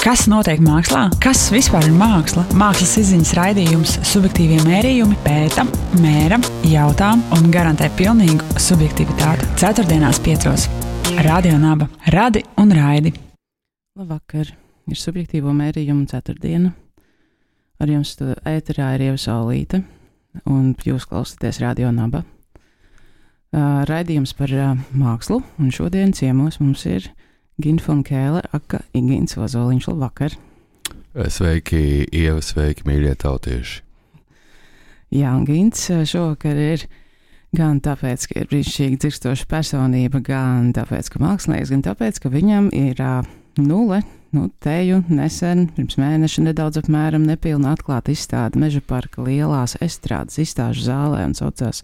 Kas notiek mākslā? Kas vispār ir māksla? Mākslas izziņas raidījums Subjektīvie mērījumi pēta, mēra, jautā un garantē pilnīgu subjektivitāti. Ceturtdienās 5. Radio Naba. Radi un raidi. Labvakar. Ir subjektīvo mērījumu ceturtdiena. Ar jums ēterā ir Ieva Saulīte un jūs klausāties Radio Naba. Raidījums par mākslu, un šodien ciemos mums ir Ginta von Kēle, aka Igīns Ozoliņš. Labvakar! Sveiki, Ieva, sveiki, mīļie tautieši! Jā, un Gints šovakar ir gan tāpēc, ka ir brīnišķīgi dzirkstoša personība, gan tāpēc, ka mākslinieks, gan tāpēc, ka viņam ir teju nesen, pirms mēneša nedaudz apmēram nepilna atklāta izstāde Meža parka lielās estrādes izstāžu zālē un saucās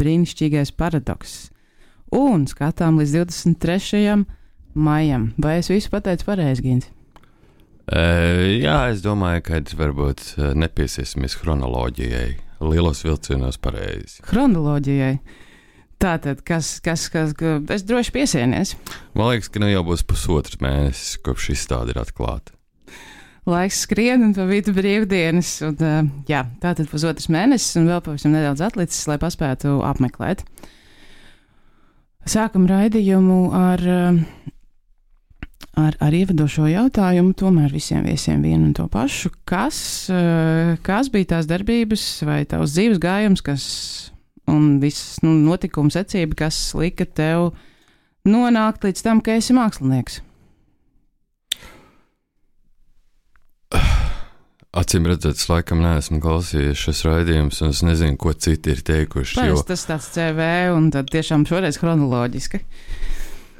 Brīnišķīgais paradoks. Un skatām līdz 23. maijam. Vai es visu pateicu pareizi, Ginti? Jā, es domāju, ka varbūt nepiesiesimies chronoloģijai. Lielos vilcienos pareizi. Chronoloģijai? Tātad, kas es droši piesienies? Man liekas, ka nu jau būs pusotrs mēnesis, kopš izstāde ir atklāta. Laiks skrien un pa vidu brīvdienas. Un, tātad pusotrs mēnesis un vēl pavisam nedaudz atlicis, lai paspētu apmeklēt. Sākam raidījumu ar ievadošo jautājumu, tomēr visiem viesiem vienu un to pašu. Kas bija tās darbības vai tavs dzīves gājums, un viss notikuma secība, kas lika tev nonākt līdz tam, ka esi mākslinieks? Acīm redzot, es laikam neesmu klausījies šos raidījumus, un es nezinu, ko citi ir teikuši. Parasti tas tāds CV, un tad tiešām šoreiz chronoloģiski.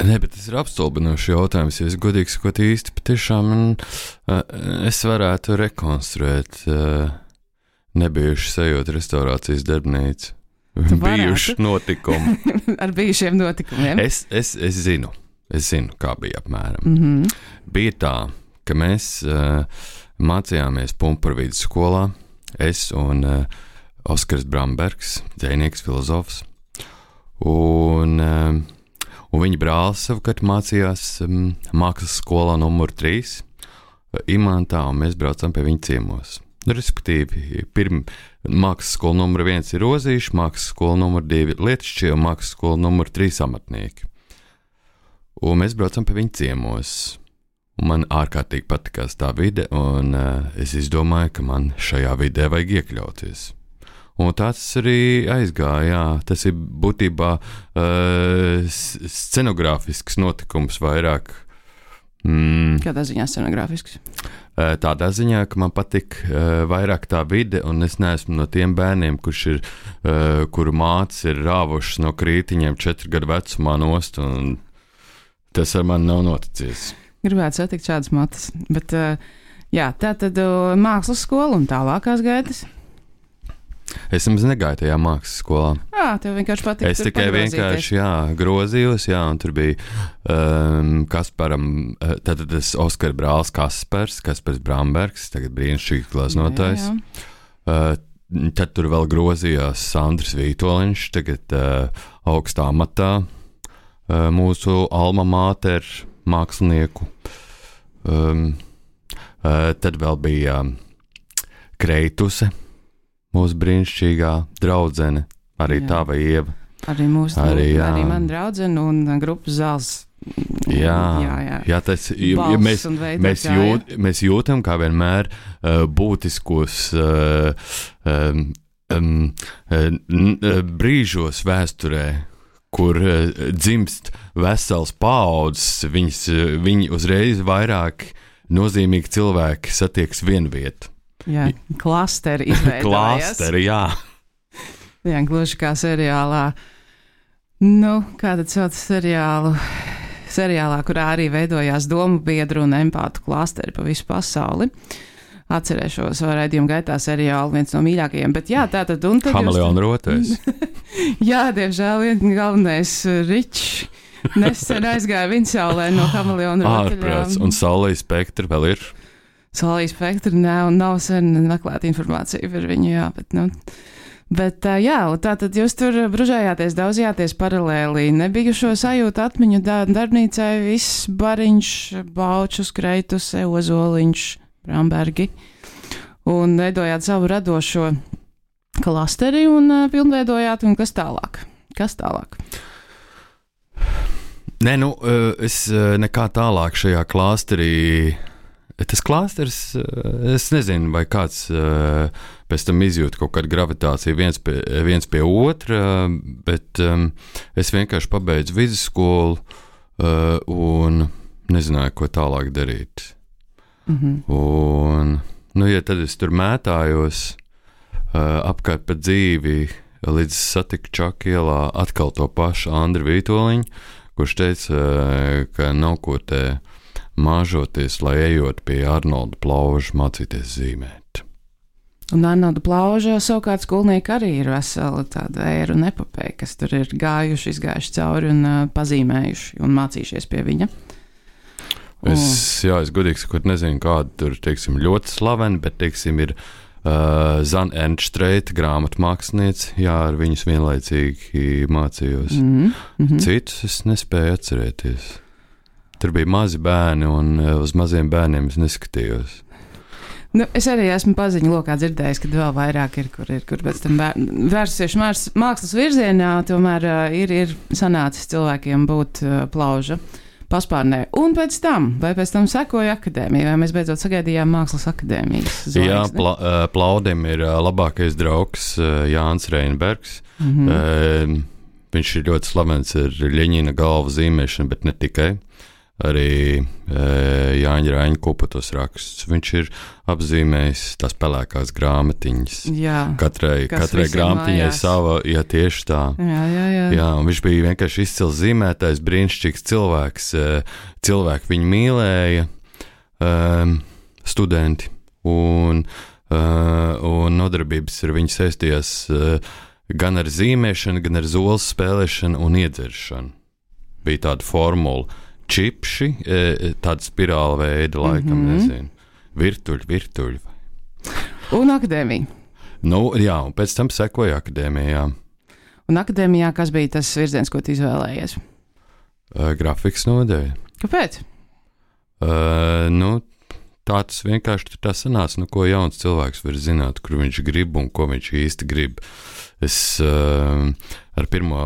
Nē, bet tas ir apstulbinošs jautājums, ja es godīgi sakot īsti, patiešām es varētu rekonstruēt nebijuši sajūta restaurācijas darbnīcu. Bijuši notikumi. Ar bijušiem notikumiem. Es zinu, kā bija apmēram. Mm-hmm. Bija tā, ka mēs mācījāmies Pumpura vidusskolā, es un Oskars Brambergs, dzejnieks, filozofs, un viņa brālis savukārt mācījās mākslas skolā numur 3 Imantā, un mēs braucam pie viņa ciemos. Respektīvi, mākslas skola numur 1 ir Rozīši, mākslas skola numur 2 ir Lietišķie, un mākslas skola numur 3 amatnieki. Un mēs braucam pie viņa ciemos. Un man ārkārtīgi patikās tā vide, un es izdomāju, ka man šajā vidē vajag iekļauties. Un tāds arī aizgāja, jā. Tas ir būtībā scenogrāfisks notikums vairāk. Kādā ziņā scenogrāfisks? Tādā ziņā, ka man patīk vairāk tā vide, un es neesmu no tiem bērniem, kuru mātes ir rāvušas no krītiņiem 4 gadu vecumā nost, un tas ar mani nav noticies. Gribētu satikt šādas matas, bet tā tad mākslas skola un tālākās gaitas. Es nemaz negāju tajā mākslas skolā. Tev vienkārši patīk. Es tikai vienkārši, grozījos, un tur bija Kasparam, tātad tas Oskara brālis Kaspars Brambergs, tagad brīnišķīgi glaznotājs. Tad tur vēl grozījās Sandrs Vītoliņš, tagad augstā amatā mūsu alma mater mākslinieku. Tad vēl bija Kreituse, mūsu brīnišķīgā draudzene, arī tava Ieva. Arī man draudzene un grupas zāles. Jā, tas mēs jūtam, kā vienmēr būtiskos brīžos vēsturē, kur dzimst vesels paaudzes, viņi uzreiz vairāk nozīmīgi cilvēki satiekas vienviet. Jā, klasteri izveidojās. Klasteri, jā. Jā, gluži kā seriālā. Kā tad sauc seriālā, kurā arī veidojās domu biedru un empātu klasteri pa visu pasauli. Atcerēšos raidījuma gaitā seriālu, viens no mīļākajiem, bet tātad... Kameleona rotais. Jā, diemžēl viens galvenais Ričs nesen aizgāja Vinsaulē no Kameleona rotaļām. Ārprāts, un Saulijas Spektra vēl ir? Saulijas Spektra nav sen meklēta informācija par viņu, bet Bet jā, tātad jūs tur bružējāties, daudzījāties paralēli, nebijušo sajūtu atmiņu darbnīcai, viss Bariņš, Baučus, Kreitus, Ozoliņš, Brambergi, un veidojāt savu radošo klasteri un pilnveidojāt, un kas tālāk? Nē, es nekā tālāk šajā klāsterī. Tas klāsters, es nezinu, vai kāds pēc tam izjūt kaut kādu gravitāciju viens pie otra, bet es vienkārši pabeidzu vidusskolu un nezināju, ko tālāk darīt. Un, ja tad es tur mētājos apkārt pa dzīvi, līdz satiku Čaku ielā atkal to pašu Andri Vītoliņu, kurš teica, ka nav ko te māžoties, lai ejot pie Arnolda Plauža mācīties zīmēt. Un Arnolda Plauža savukārt skolnieki arī ir vesela tāda ēra un epopēja, kas tur ir izgājuši cauri un pazīmējuši un mācījušies pie viņa. Es godīgi sakot nezinu, kāda tur, teiksim, ļoti slavena, bet, teiksim, ir Zana Ernstreita grāmatmāksliniece, ar viņus vienlaicīgi mācījos. Citus es nespēju atcerēties. Tur bija mazi bērni, un uz maziem bērniem es neskatījos. Es arī esmu paziņu lokā dzirdējis, ka vēl vairāk ir, kur pēc tam vērsusies mākslas virzienā, tomēr ir sanācis cilvēkiem būt Plauža paspārnē. Un pēc tam sekoja akadēmija, vai mēs beidzot sagaidījām mākslas akadēmijas zvaigzni? Jā, Plaudim ir labākais draugs Jānis Reinbergs. Viņš ir ļoti slavens ar Ļeņina galvu zīmēšanu, bet ne tikai. Arī Jāņa Raņa Kupatos raksts. Viņš ir apzīmējis tās pelēkās grāmatiņas. Jā, katrai grāmatiņai sava, tieši tā. Jā, un viņš bija vienkārši izcils zīmētājs, brīnišķīgs cilvēks. Cilvēki viņu mīlēja, studenti, un nodarbības ar viņu saistījās gan ar zīmēšanu, gan ar zoles spēlēšanu un iedzeršanu. Bija tāda formula. Čipši, tāda spirāla veida, laikam, nezinu. Virtuļi. Un akadēmija. Jā, un pēc tam sekoja akadēmijā. Un akadēmijā kas bija tas virziens, ko tu izvēlējies? Grafikas nodeļa. Kāpēc? Tā tas vienkārši tā sanāca, ko jauns cilvēks var zināt, kur viņš grib un ko viņš īsti grib. Es ar pirmo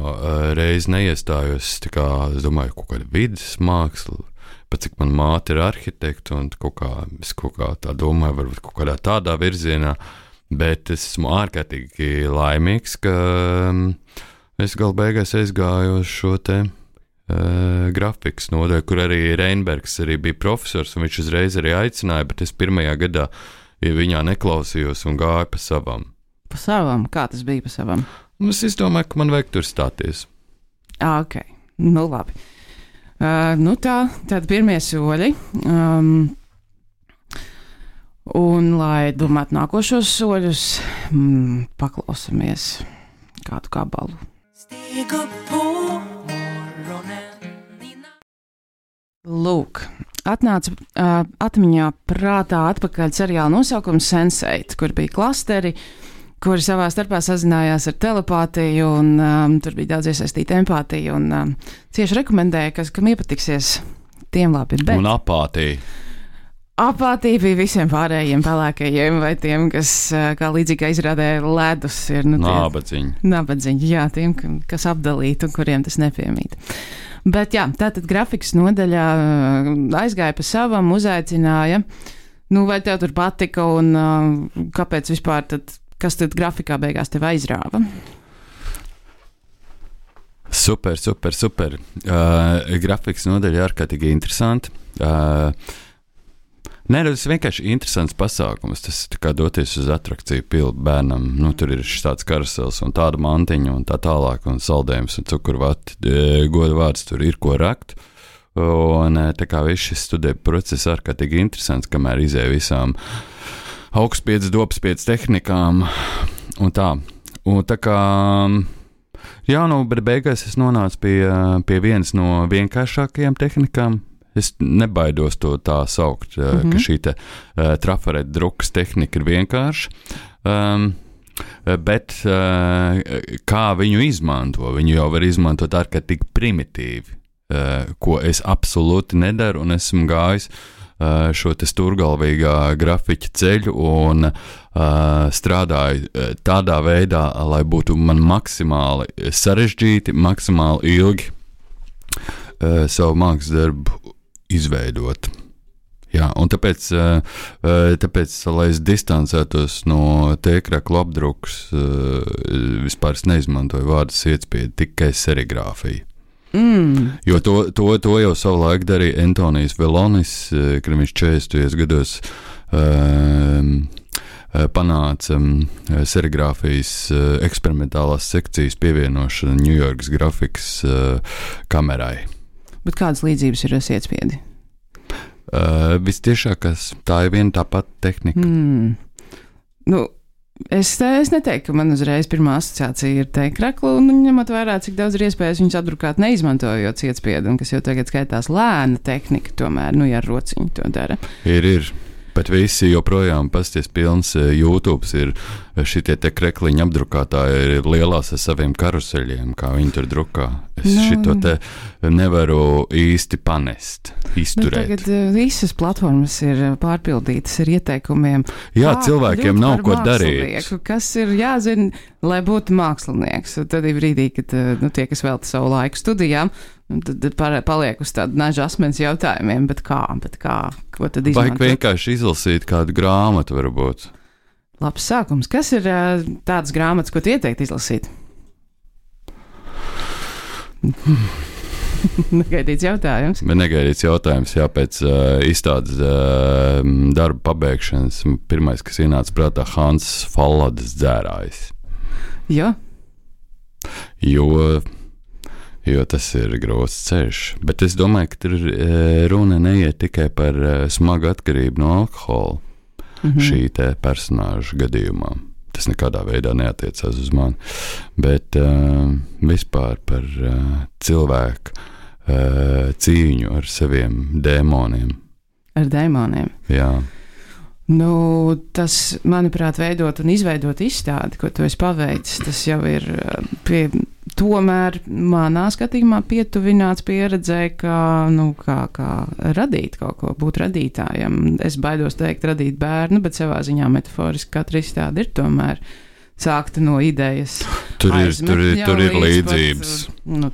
reizi neiestājos, es domāju, kaut kāda vidas māksla, pat cik man māte ir arhitekta, un es kaut kā tā domāju, varbūt kaut kādā tādā virzienā, bet es esmu ārkārtīgi laimīgs, ka es galu beigās aizgāju uz šo te grafikas nodaļu, kur arī Reinbergs arī bija profesors, un viņš uzreiz arī aicināja, bet es pirmajā gadā viņā neklausījos un gāju pa savam. Pa savam? Kā tas bija pa savam? Es domāju, ka man vajag tur stāties. Ok, labi. Tad pirmie soļi. Un, lai domātu nākošos soļus, paklausamies kādu gabalu. Lūk, atnāca atmiņā prātā atpakaļ seriāla nosaukums Sense8, kur bija klasteri, kuri savā starpā sazinājās ar telepātiju, un tur bija daudz iesaistīta empātija, un cieši rekomendēja, kam iepatiksies, tiem labi, bet... Un apātija. Apātija bija visiem pārējiem pelēkajiem, vai tiem, kas, kā līdzīgi izrādē, ledus ir... Nabadziņi, jā, tiem, kas apdalīti un kuriem tas nepiemīt. Bet jā, tātad grafikas nodaļā aizgāja pa savam, uzaicināja, vai tev tur patika, un kāpēc vispār tad... Kas tad grafikā beigās tev aizrāva? Super. Grafikas nodaļa ārkārtīgi interesanti. Tas ir vienkārši interesants pasākums. Tas ir kā doties uz atrakciju pildu bērnam. Tur ir tāds karusels un tāda mantiņa un tā tālāk, un saldējums un cukurvati. Goda vārds tur ir ko rakt. Un tā kā viss šis studiju process ārkārtīgi interesants, kamēr izēja visām augstspiedz, dopspiedz tehnikām un tā. Un tā kā, bet beigās es nonācu pie vienas no vienkāršākajām tehnikām. Es nebaidos to tā saukt, ka šī trafareta drukas tehnika ir vienkārša. Bet kā viņu izmanto? Viņu jau var izmantot ārkārtīgi primitīvi, ko es absolūti nedaru, un esmu gājis šo te stūrgalvīgā grafiķa ceļu un strādāju tādā veidā, lai būtu man maksimāli sarežģīti, maksimāli ilgi savu mākslas darbu izveidot. Jā, un tāpēc, lai es distancētos no tēkraklu apdrukas, vispār es neizmantoju vārdu sietspiedi, tikai serigrāfiju. Jo to jau savulaik darīja Antonijs Velonis, kad viņš 40. gados panāca serigrāfijas eksperimentālās sekcijas pievienošanu Ņujorkas grafikas kamerai. Bet kādas līdzības ir ar sietspiedi? Vistiešākās, tā ir viena tā pati tehnika. Nu, es neteiktu, ka man uzreiz pirmā asociācija ir tēkrakla, un ņemot vērā, cik daudz ir iespējas viņus apdrukāt neizmantojot sietspiedu, un kas jau tagad skaitās lēna tehnika, tomēr, ja ar rociņu to dara. Ir. Bet visi joprojām pasties pilns YouTube ir šitie te krekliņu apdrukātāji ir lielās ar saviem karuseļiem, kā viņi tur drukā. Es šito te nevaru īsti panest, izturēt. Tagad visas platformas ir pārpildītas ar ieteikumiem. Jā, cilvēkiem nav ko darīt. Kas ir jāzina, lai būtu mākslinieks. Un tad ir brīdī, kad tie, kas velta savu laiku studijām, tad paliek uz tādu naža asmens jautājumiem, bet kā, ko tad izmantot? Vajag vienkārši izlasīt kādu grāmatu varbūt. Labs sākums. Kas ir tādas grāmatas, ko tu ieteikt izlasīt? Negaidīts jautājums. Negaidīts jautājums, jā, pēc izstādes darba pabeigšanas. Pirmais, kas ienāca prātā, Hans Falladas Dzērājs. Jo tas ir grūts ceļš. Bet es domāju, ka tur runa neiet tikai par smagu atkarību no alkohola šī te personāža gadījumā. Tas nekādā veidā neatiecās uz mani. Bet vispār par cilvēku cīņu ar saviem dēmoniem. Ar dēmoniem? Jā. Tas, manuprāt, veidot un izveidot izstādi, ko tu esi paveicis, tas jau ir tomēr manā skatījumā pietuvināts pieredzē, kā radīt kaut ko, būt radītājam. Es baidos teikt radīt bērnu, bet savā ziņā metaforiski katra izstāde ir tomēr sākta no idejas. Tur ir līdzības.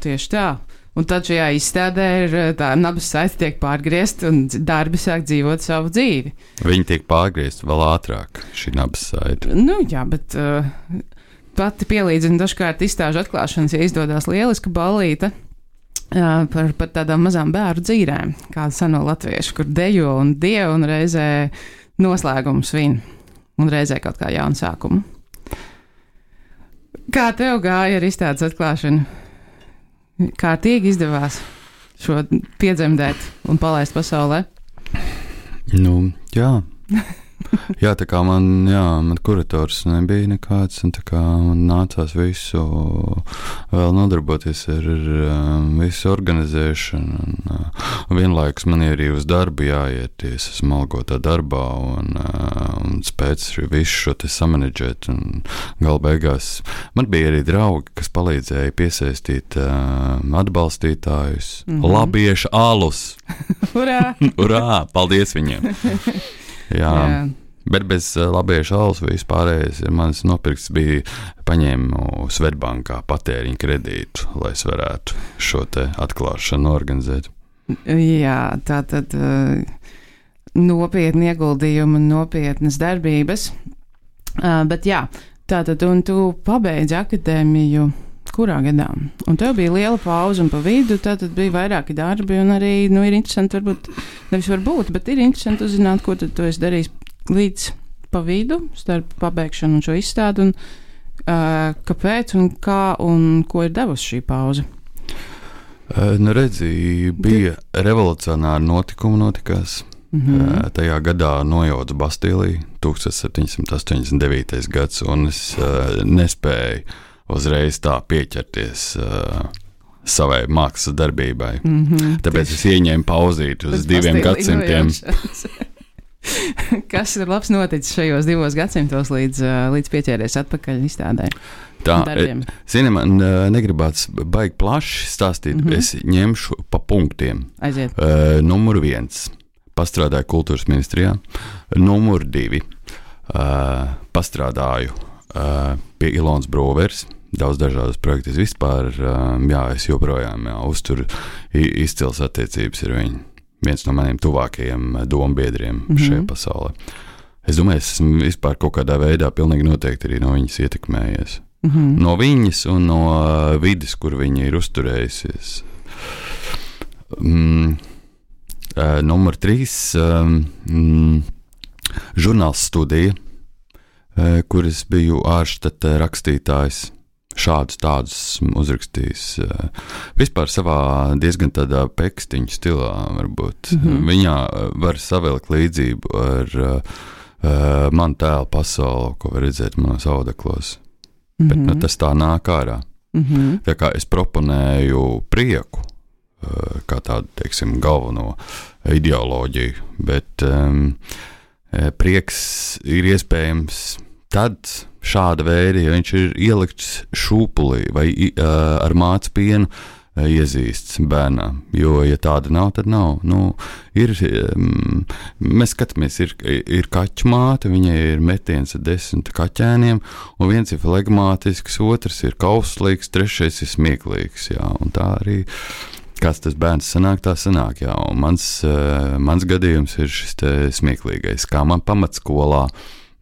Tieši tā. Un tad šajā izstādē ir tā nabas saite tiek pārgriezta un darbi sāk dzīvot savu dzīvi. Viņi tiek pārgriezti vēl ātrāk, šī nabas saite. Jā, bet pati pielīdzina dažkārt izstāžu atklāšanas, ja izdodas lieliska ballīte par tādām mazām bērnu dzīrēm, kāda seno latviešu, kur dejo un dievu un reizē noslēgumu svin un reizē kaut kā jaunu sākumu. Kā tev gāja ar izstādes atklāšanu? Kārtīgi izdevās šo piedzemdēt un palaist pasaulē? Jā. Jā, tā kā man kurators nebija nekāds, un tā kā man nācās visu vēl nodarboties ar visu organizēšanu, un vienlaikus man ir arī uz darbu jāiet, es esmu algotā darbā, un spēc visu šo te samanedžēt, un gala beigās man bija arī draugi, kas palīdzēja piesaistīt atbalstītājus, labieša alus. Urā! Urā! Paldies viņiem! Jā. Bet bez labieša alus vispārējais ir mans nopirkts bija paņēmu Svetbankā patēriņu kredītu, lai es varētu šo te atklāšanu organizēt. Jā, tātad nopietni ieguldījumi un nopietnas darbības. Bet jā, tātad un tu pabeidzi akadēmiju kurā gadā? Un tev bija liela pauze un pa vidu, tātad bija vairāki darbi un arī, ir interesanti bet ir interesanti uzzināt, ko tad tu esi darījis līdz pa vidu, starp pabeigšanu un šo izstādi, un kāpēc un kā un ko ir devusi šī pauze? Redzi, bija revolucionāri notikumi notikās. Tajā gadā nojauca Bastīliju, 1789. gads, un es nespēju uzreiz tā pieķerties savai mākslas darbībai. Tāpēc es ieņēmu pauzīti uz 2 gadsimtiem. Kas ir labs noticis šajos 2 gadsimtos līdz pieķēries atpakaļ izstādē? Tā, zini, man negribās baigi plaši stāstīt, es ņemšu pa punktiem. Aiziet. Numur 1. Pastrādāju kultūras ministrijā. Numur 2. Pastrādāju pie Ilonas Brūveres. Daudz dažādas projektus vispār. Es joprojām uzturu izcils attiecības ar viņu. Viens no maniem tuvākajiem dombiedriem šajā pasaulē. Es domāju, es esmu vispār kaut kādā veidā pilnīgi noteikti arī no viņas ietekmējies. No viņas un no vides, kur viņa ir uzturējusies. Numur 3. Žurnāls Studija, kur es biju ārštata rakstītājs. Šādus tādus uzrakstījis. Vispār savā diezgan tādā pekstiņu stilā varbūt. Viņā var savilkt līdzību ar manu tēlu pasauli, ko var redzēt manos audeklos. Bet tas tā nāk ārā. Tā kā es proponēju prieku, kā tādu, teiksim, galveno ideoloģiju, bet prieks ir iespējams tad šāda veida, ja viņš ir ielikts šūpulī vai ar mācu pienu iezīsts bērnām, jo, ja tāda nav, tad nav. Mēs skatāmies, ir kaķu māte, viņai ir metiens ar 10 kaķēniem, un viens ir flegmātisks, otrs ir kauslīgs, trešais ir smieklīgs, un tā arī kāds tas bērns sanāk, tā sanāk, un mans gadījums ir šis te smieklīgais, kā man pamatskolā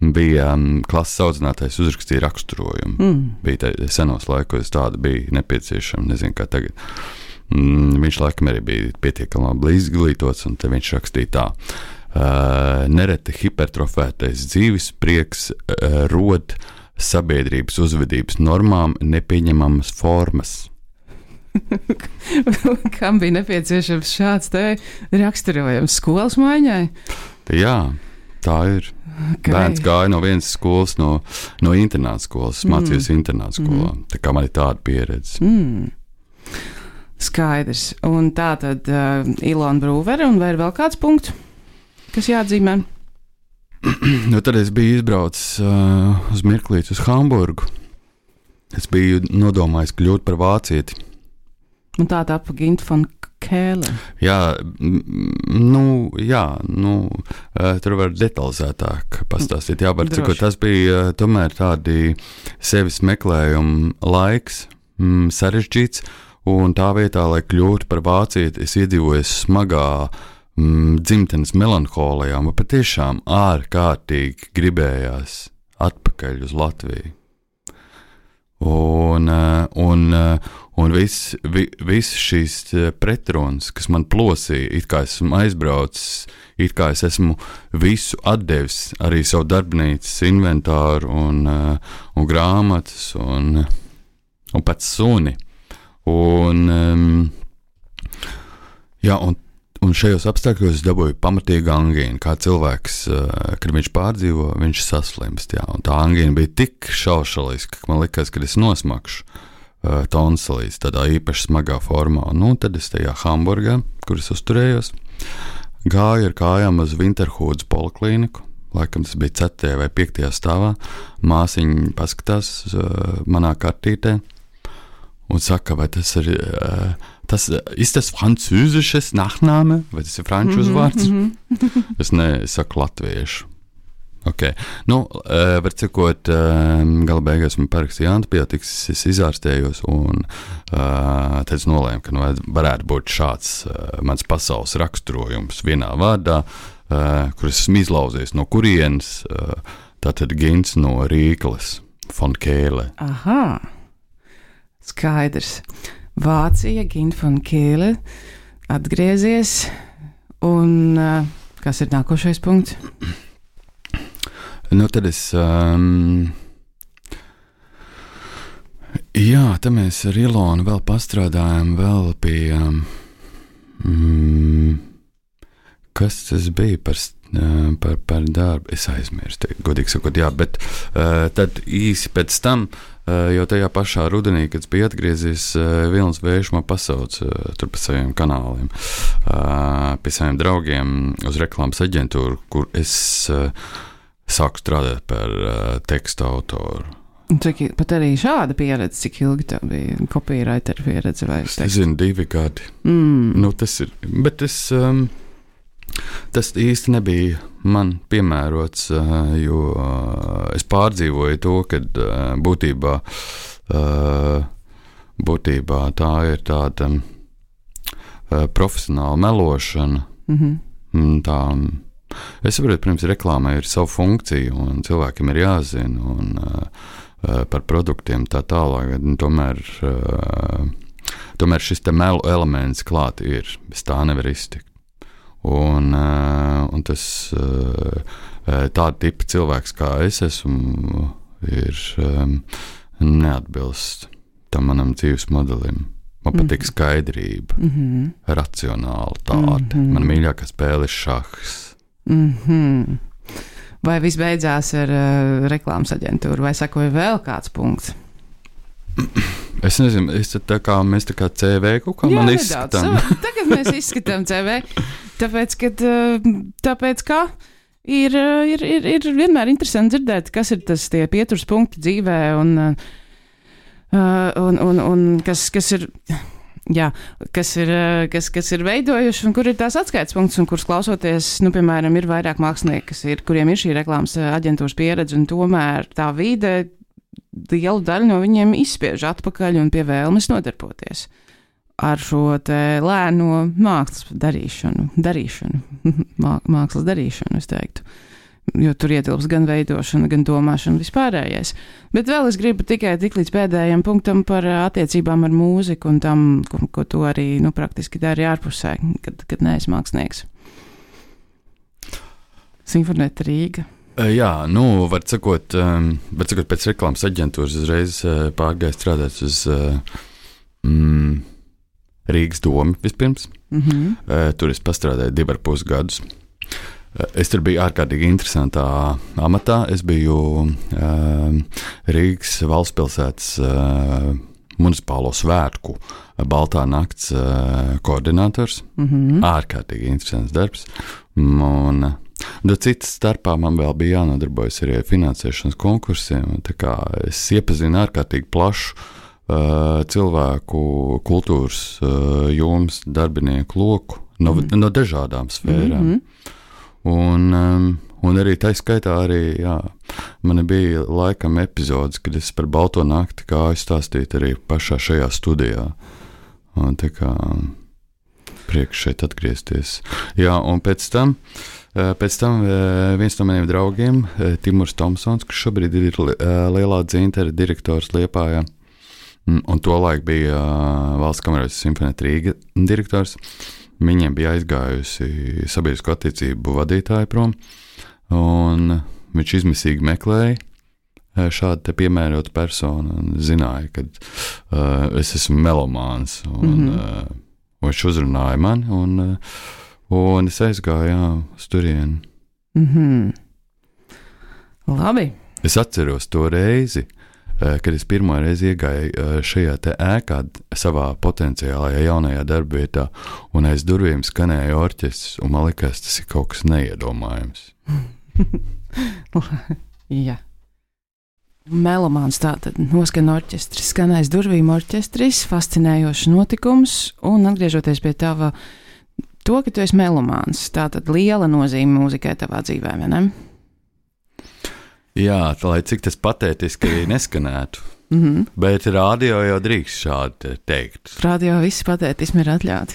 bija klases audzinātājs uzrakstīja raksturojumu. Bija senos laikos tāda bija nepieciešama, nezinu kā tagad. Viņš laikam arī bija pietiekami labi izglītots, un te viņš rakstīja tā. Nereti hipertrofētais dzīves prieks rod sabiedrības uzvedības normām nepieņemamas formas. Kam bija nepieciešams šāds te raksturojums skolas maiņai? Jā, tā ir. Okay. Bērns gāja no vienas skolas, no internāta skolas, mācījos internāta skolā. Tā kā man ir tāda pieredze. Skaidrs. Un tā tad Ilona Brūvere, un vai ir vēl kāds punkts, kas jāatzīmē? Tad es biju izbraucis uz mirklīti uz Hamburgu. Es biju nodomājis kļūt par vācieti. Un tā tapa Gint von Kēle. Tur var detalizētāk pastāstīt. Tas bija tomēr tādi sevis meklējuma laiks, sarežģīts, un tā vietā, lai kļūtu par vācieti, es iedzīvojos smagā dzimtenes melanholijā, man patiešām ārkārtīgi gribējās atpakaļ uz Latviju. Un viss šīs pretrunas, kas man plosīja, it kā esmu aizbraucis, it kā es esmu visu atdevis, arī savu darbnīcas inventāru un grāmatas un pats suni. Un šajos apstākļos es dabūju pamatīgu angīnu, kā cilvēks, kad viņš pārdzīvo, viņš saslimst, un tā angīna bija tik šaušaliska, ka man likās, ka es nosmakšu tonsilīs tādā īpaši smagā formā. Tad es tajā Hamburgā, kur es uzturējos, gāju ar kājām uz Winterhudes poliklīniku, laikam tas bija 4. vai 5. stāvā, māsiņa paskatās manā kartītē un saka, vai tas ir... Ist das französisches Nachname? Vai tas ir franču uzvārds? Es saku latviešu. Okay. Var cikot, gala beigās man parakstīja antibiotikas, es izārstējos un tad es nolēmu, ka varētu būt šāds mans pasaules raksturojums vienā vārdā, kur es esmu izlauzies no kurienes, tātad Gints no Rīkles, von Kēle. Aha, skaidrs. Vācija, Gint von Kēle, atgriezies, un kas ir nākošais punkts? Tad es, tad mēs ar Ilonu vēl pastrādājām vēl pie, kas tas bija par darbu, es aizmirstu, godīgi sakot, bet tad īsi pēc tam, jo tajā pašā rudenī, kad bija atgriezies, Vilnis Vējš man pasauca tur pa saviem kanāliem. pie saviem draugiem uz reklāmas aģentūru, kur es sāku strādāt par tekstu autoru. Cik pat arī šāda pieredze, cik ilgi tev bija copywriter pieredze vai tekstu? Es zinu, 2 gadi. Tas ir, bet tas īsti nebija man piemērots, jo es pārdzīvoju to, kad būtībā tā ir tāda profesionāla melošana. Tā, es saprotu, pirms reklāmai ir savu funkciju un cilvēkiem ir jāzina un par produktiem tā tālāk, tomēr šis te melu elements klāt ir, bez tā nevar iztikt. Un tas tāda tipa cilvēks kā es esmu, ir neatbilst tam manam dzīves modelim. Man patīk skaidrība, racionālitāte. Man mīļākā spēle ir šahs. Vai viss beidzās ar reklāmas aģentūru, vai sakoja vēl kāds punkts? Es nezinu, mēs tā kā CV kaut kā man izskatām. Tagad mēs izskatām CV, tāpēc ka ir vienmēr interesanti dzirdēt, kas ir tas tie pieturas punkti dzīvē un kas ir... Jā, kas ir veidojuši un kur ir tās atskaites punkts un kurus klausoties, piemēram, ir vairāk mākslinieki, kuriem ir šī reklāmas aģentūras pieredze un tomēr tā vide lielu daļu no viņiem izspiež atpakaļ un pie vēlmes nodarboties ar šo te lēno mākslas darīšanu, es teiktu. Jo tur ietilps gan veidošana, gan domāšana vispārējais. Bet vēl es gribu tikai tik līdz pēdējiem punktam par attiecībām ar mūziku un tam, ko tu arī praktiski dari ārpusē, kad neesi mākslinieks. Sinfonēta Rīga. Jā, var sakot, pēc reklāmas aģentūras uzreiz pārgāju strādāt uz Rīgas domu vispirms. Tur es pastrādāju 2,5 gadus. Es tur biju ārkārtīgi interesantā amatā. Es biju Rīgas valstspilsētas municipālo svētku Baltā nakts koordinators. Ārkārtīgi interesants darbs. Un citas starpā man vēl bija jānodarbojas arī ar finansēšanas konkursiem. Tā kā es iepazinu ārkārtīgi plašu cilvēku kultūras jomas darbinieku loku no dažādām sfērām. Un arī tā skaitā man bija laikam epizodes, kad es par Balto nakti gāju stāstīt arī pašā šajā studijā. Un tā kā prieks šeit atgriezties. Jā, un pēc tam viens no maniem draugiem, Timurs Tomsons, kurš šobrīd ir Lielā dzintara direktors Liepājā, un tolaik bija Valsts kameras Sinfonēta Rīga direktors. Viņiem bija aizgājusi sabiedrisko attiecību vadītāja prom, un viņš izmisīgi meklēja šādu te piemērotu personu un zināja, ka es esmu melomāns, un viņš uzrunāja mani, un es aizgāju uz turieni. Labi. Es atceros to reizi, kad es pirmo reizi iegāju šajā te ēkā savā potenciālajā jaunajā darbvietā, un aiz durvīm skanēja orķestris, un man likās, tas ir kaut kas neiedomājams. Jā. Melomāns tātad noskan orķestris, skan aiz durvīm orķestris, fascinējošs notikums, un atgriežoties pie tava, to, ka tu esi melomāns, tātad liela nozīme mūzikai tavā dzīvē, vai ne? Jā, lai cik tas patētiski neskanētu, bet radio jau drīkst šādi teikt. Radio visi patētismi ir atļauti.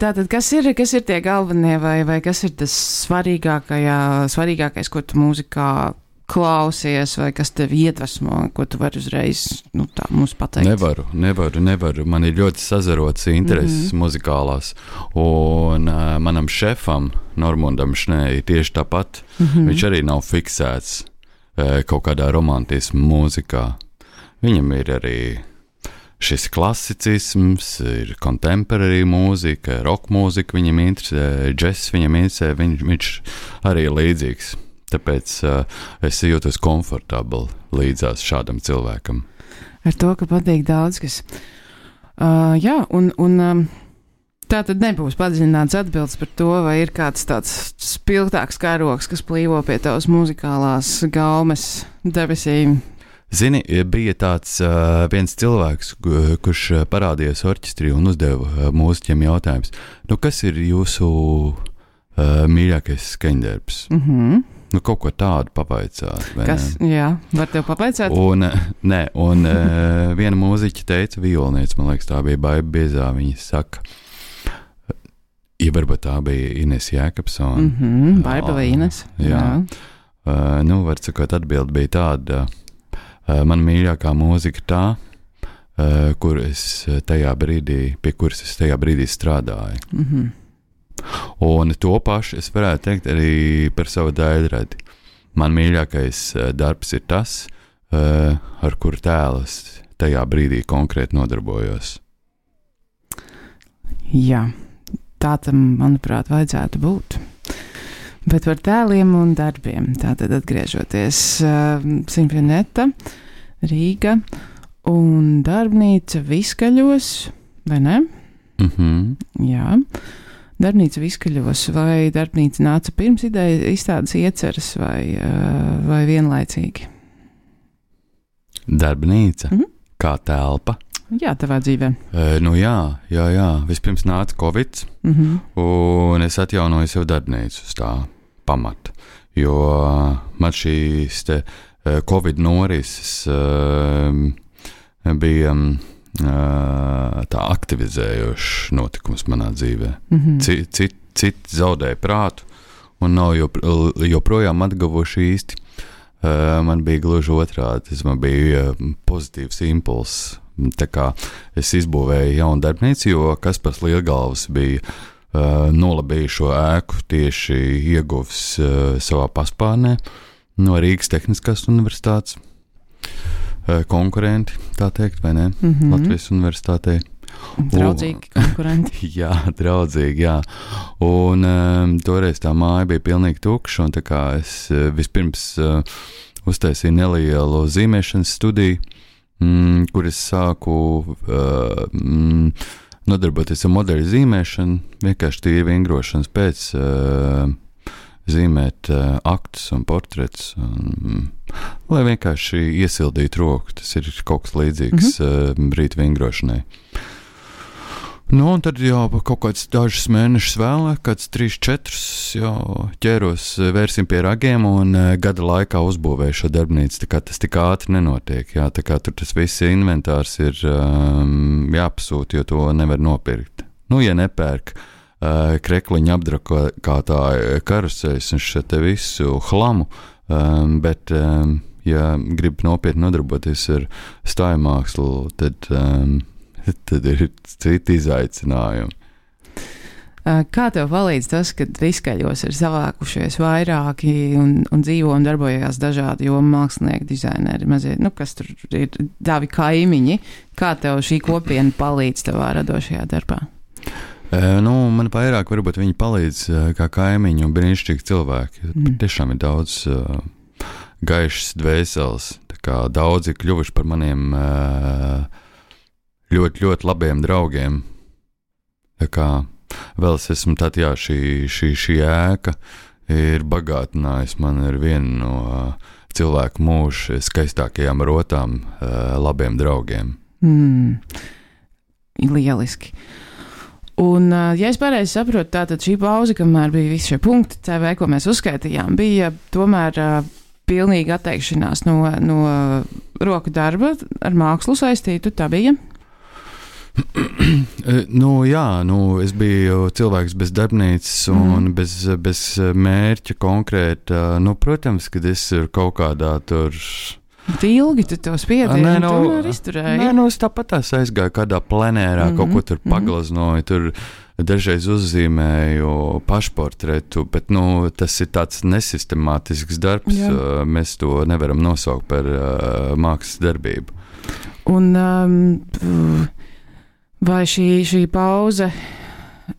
Tātad, kas ir tie galvenie vai kas ir tas svarīgākais, ko tu mūzikā klausies, vai kas tevi iedvesmo, ko tu vari uzreiz tā mums pateikt? Nevaru. Man ir ļoti sazarots intereses muzikālās, un manam šefam, Normundam Šnei, tieši tāpat. Viņš arī nav fiksēts kaut kādā romantismu mūzikā. Viņam ir arī šis klasicisms, ir contemporary mūzika, rock mūzika viņam interesē, džess viņam interesē, viņš arī ir līdzīgs. Tāpēc es jūtos komfortabli līdzās šādam cilvēkam. Ar to, ka patīk daudz kas. Jā, un Tā tad nebūs padziļināts atbildes par to, vai ir kāds tāds spilgtāks karoks, kas plīvo pie tavas muzikālās gaumes debesīm. Zini, bija tāds viens cilvēks, kurš parādījās orķestrī un uzdeva mūziķiem jautājums. Nu, kas ir jūsu mīļākais skaņdarbs? Nu, kaut ko tādu pavaicāt. Kas? Jā, var tev pavaicāt? Un viena mūziķa teica, violniece, man liekas, tā bija Baiba Biezā, viņa saka, ja varbūt tā bija Ines Jēkabsona. Baiba vai Ines? Jā. Nu, var sakot, atbildi bija tāda, man mīļākā mūzika tā, kur es tajā brīdī, pie kuras es tajā brīdī strādāju. Un to pašu es varētu teikt arī par savu daļradi. Man mīļākais darbs ir tas, ar kuru tēlus tajā brīdī konkrēti nodarbojos. Jā, tā tam, manuprāt, vajadzētu būt. Bet par tēliem un darbiem. Tātad atgriežoties Sinfonietta, Rīga un darbnīca Viskaļos, vai ne? Jā. Darbnīca Viskaļos, vai darbnīca nāca pirms izstādes ieceras vai vienlaicīgi? Darbnīca? Kā telpa? Jā, tavā dzīvē. Nu jā. Vispirms nāca Covid, un es atjaunoju sev darbnīcu uz tā pamata, jo man šīs te Covid norises bija tā aktivizējošs notikums manā dzīvē. Citi zaudēja prātu un nav joprojām atguvuši īsti. Man bija gluži otrādi, man bija pozitīvs impulss. Tā kā es izbūvēju jaunu darbnīcu, jo Kaspars Lielgalvs bija nolabījis šo ēku tieši ieguvis savā paspārnē no Rīgas Tehniskās universitātes. Konkurenti, tā teikt, vai ne? Latvijas universitātei. Draudzīgi konkurenti. Jā, draudzīgi, jā. Un toreiz tā māja bija pilnīgi tukša, un tā kā es vispirms uztaisīju nelielu zīmēšanas studiju, kur es sāku nodarboties ar modeļu zīmēšanu, vienkārši tīri vingrošanas pēc zīmēt aktus un portretus, lai vienkārši iesildītu roku. Tas ir kaut kas līdzīgs brītu vingrošanai. Nu, un tad jau kaut kāds dažus mēnešus vēlāk, kāds 3-4 jau ķēros vērsim pie ragiem un gada laikā uzbūvēju šo darbnīcu, tā kā tas tik ātri nenotiek, jā, tā kā tur tas viss inventārs ir jāpasūt, jo to nevar nopirkt. Nu, ja nepērk krekliņa apdrakātāju karuseļus un šo te visu hlamu, bet, ja grib nopietni nodarboties ar stājumākslu, tad ir citi izaicinājumi. Kā tev palīdz tas, ka Viskaļos ir savākušies vairāki un dzīvo un darbojās dažādi jomu mākslinieki, dizaineri, mazie, kas tur ir tavi kaimiņi? Kā tev šī kopiena palīdz tavā radošajā darbā? Man vairāk varbūt viņi palīdz kā kaimiņi un brīnišķīgi cilvēki. Tiešām ir daudz gaišas dvēseles. Tā kā daudzi kļuvuši par maniem ļoti, ļoti labiem draugiem. Tā kā vēl es esmu tad, jā, šī ēka ir bagātinājusi man ar vienu no cilvēku mūža skaistākajām rotām labiem draugiem. Lieliski. Un, ja es pareizi saprotu, tātad šī pauze, kamēr bija visi šie punkti CV, ko mēs uzskaitījām, bija tomēr pilnīga atteikšanās no roku darba ar mākslu saistītu, tā bija? Es biju cilvēks bez darbnīcas un bez mērķa konkrēta. Protams, kad es ir kaut kādā tur... Ilgi tu to spiedienu tomēr izturēji? Es tāpat aizgāju kādā plenērā, kaut ko tur paglaznoju, tur dažreiz uzzīmēju pašportretu, bet tas ir tāds nesistemātisks darbs. Jā. Mēs to nevaram nosaukt par mākslas darbību. Un vai šī pauze,